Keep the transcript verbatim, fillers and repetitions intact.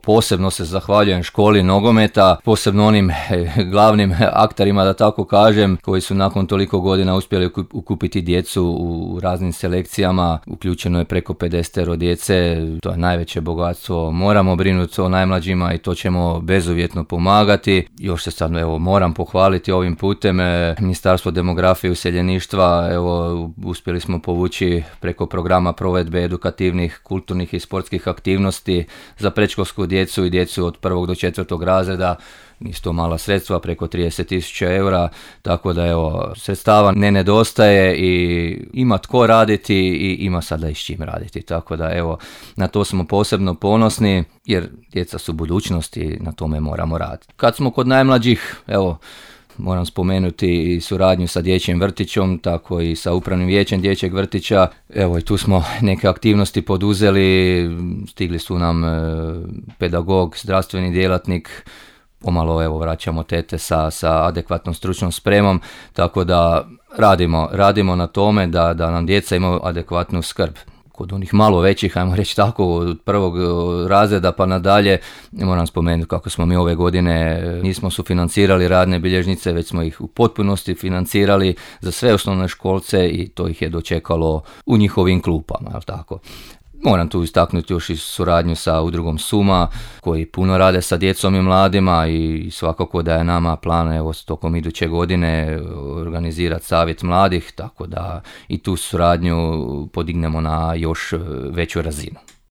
Posebno se zahvaljujem školi nogometa, posebno onim glavnim akterima, da tako kažem, koji su nakon toliko godina uspjeli ukupiti djecu u raznim selekcijama. Uključeno je preko pedeset djece, to je najveće bogatstvo. Moramo brinuti o najmlađima i to ćemo bezuvjetno pomagati. Još se sad evo, moram pohvaliti ovim putem Ministarstvo demografije i useljeništva. Evo, uspjeli smo povući preko programa provedbe edukativnih, kulturnih i sportskih aktivnosti za predškolsku djecu i djecu od prvog do četvrtog razreda. Nisu to mala sredstva, preko trideset tisuća eura, tako da evo, sredstava ne nedostaje i ima tko raditi i ima sada i s čim raditi. Tako da evo, na to smo posebno ponosni jer djeca su budućnost i na tome moramo raditi. Kad smo kod najmlađih, evo, moram spomenuti i suradnju sa dječjim vrtićom, tako i sa upravnim vijećem dječjeg vrtića. Evo i tu smo neke aktivnosti poduzeli, stigli su nam e, pedagog, zdravstveni djelatnik, pomalo evo vraćamo tete sa, sa adekvatnom stručnom spremom, tako da radimo, radimo na tome da, da nam djeca imaju adekvatnu skrb. Kod onih malo većih, ajmo reći tako, od prvog razreda pa nadalje, moram spomenuti kako smo mi ove godine nismo sufinancirali radne bilježnice, već smo ih u potpunosti financirali za sve osnovne školce i to ih je dočekalo u njihovim klupama, jel tako? Moram tu istaknuti još i suradnju sa udrugom Suma, koji puno rade sa djecom i mladima i svakako da je nama plan evo tokom iduće godine organizirati savjet mladih, tako da i tu suradnju podignemo na još veću razinu.